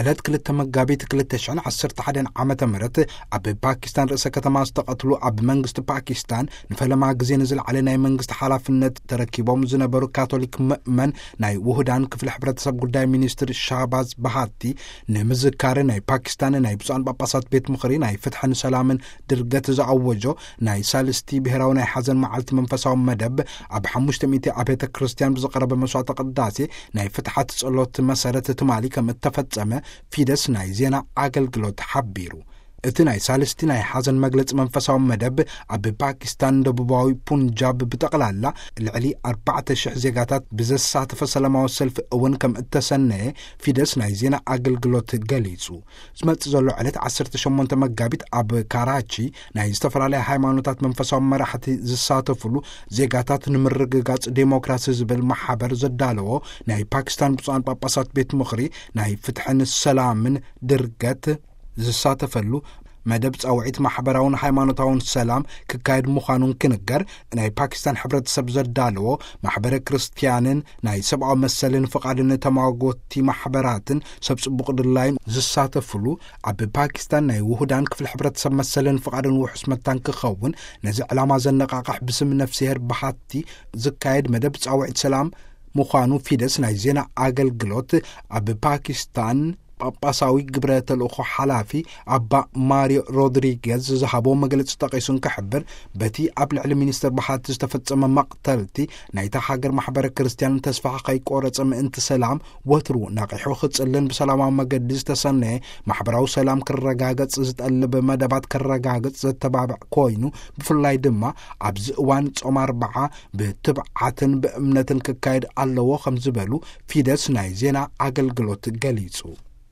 ዕለት ክልተ መጋቢት ክልተ ሽሕን ዓሰርተ ሓደን ዓመተ ምህረት ኣብ ፓኪስታን ርእሰ ከተማ ዝተቐትሉ፣ ኣብ መንግስቲ ፓኪስታን ንፈለማ ግዜ ንዝለዓለ ናይ መንግስቲ ሓላፍነት ተረኪቦም ዝነበሩ ካቶሊክ ምእመን፣ ናይ ውሁዳን ክፍሊ ሕብረተሰብ ጉዳይ ሚኒስትር ሻህባዝ ባሃቲ ንምዝካር፣ ናይ ፓኪስታን ናይ ብፁዓን ጳጳሳት ቤት ምኽሪ ናይ ፍትሕን ሰላምን ድርገት ዝኣወጆ ናይ ሳልስቲ ብሔራዊ ናይ ሓዘን መዓልቲ መንፈሳዊ መደብ ኣብ ሓሙሽተ ሚእቲ ኣብያተ ክርስቲያን ብዝቐረበ መስዋዕተ ቅዳሴ ናይ ፍትሓት ጸሎት መሰረት ትማሊ ከም እተፈጸመ ፊደስ ናይ ዜና ኣገልግሎት ሓቢሩ። እቲ ናይ ሳልስቲ ናይ ሓዘን መግለጺ መንፈሳዊ መደብ ኣብ ፓኪስታን ደቡባዊ ፑንጃብ ብጠቕላላ ልዕሊ ኣርባዕተ ሽሕ ዜጋታት ብዘሳተፈ ሰላማዊ ሰልፊ እውን ከም እተሰነየ ፊደስ ናይ ዜና ኣገልግሎት ገሊጹ። ዝመጽእ ዘሎ ዕለት ዓሰርተ ሸሞንተ መጋቢት ኣብ ካራቺ ናይ ዝተፈላለያ ሃይማኖታት መንፈሳዊ መራሕቲ ዝሳተፍሉ ዜጋታት ንምርግጋጽ ዴሞክራሲ ዝብል ማሕበር ዘዳለዎ ናይ ፓኪስታን ብፁዓን ጳጳሳት ቤት ምኽሪ ናይ ፍትሕን ሰላምን ድርገት ዝሳተፈሉ መደብ ጻውዒት ማሕበራውን ሃይማኖታውን ሰላም ክካየድ ምዃኑን ክንገር፣ ናይ ፓኪስታን ሕብረተሰብ ዘዳለዎ ማሕበረ ክርስትያንን ናይ ሰብኣዊ መሰልን ፍቓድን ተማጎቲ ማሕበራትን ሰብ ጽቡቕ ድላይን ዝሳተፍሉ፣ ኣብ ፓኪስታን ናይ ውሁዳን ክፍሊ ሕብረተሰብ መሰልን ፍቓድን ውሑስ መታን ክኸውን ነዚ ዕላማ ዘነቓቕሕ ብስም ነፍስሄር ብሃቲ ዝካየድ መደብ ጻውዒት ሰላም ምዃኑ ፊደስ ናይ ዜና ኣገልግሎት ኣብ ፓኪስታን ጳጳሳዊ ግብረ ተልእኾ ሓላፊ ኣባ ማሪዮ ሮድሪጌዝ ዝሃቦ መግለጺ ጠቒሱ እንክሕብር፣ በቲ ኣብ ልዕሊ ሚኒስተር ብሃቲ ዝተፈጸመ መቕተልቲ ናይታ ሃገር ማሕበረ ክርስትያን ተስፋ ከይቆረጸ ምእንቲ ሰላም ወትሩ ነቒሑ ክጽልን ብሰላማዊ መገዲ ዝተሰነየ ማሕበራዊ ሰላም ክረጋገጽ ዝጠልብ መደባት ክረጋገጽ ዘተባብዕ ኮይኑ፣ ብፍላይ ድማ ኣብዚ እዋን ጾም ኣርብዓ ብትብዓትን ብእምነትን ክካየድ ኣለዎ ከም ዝበሉ ፊደስ ናይ ዜና ኣገልግሎት ገሊጹ።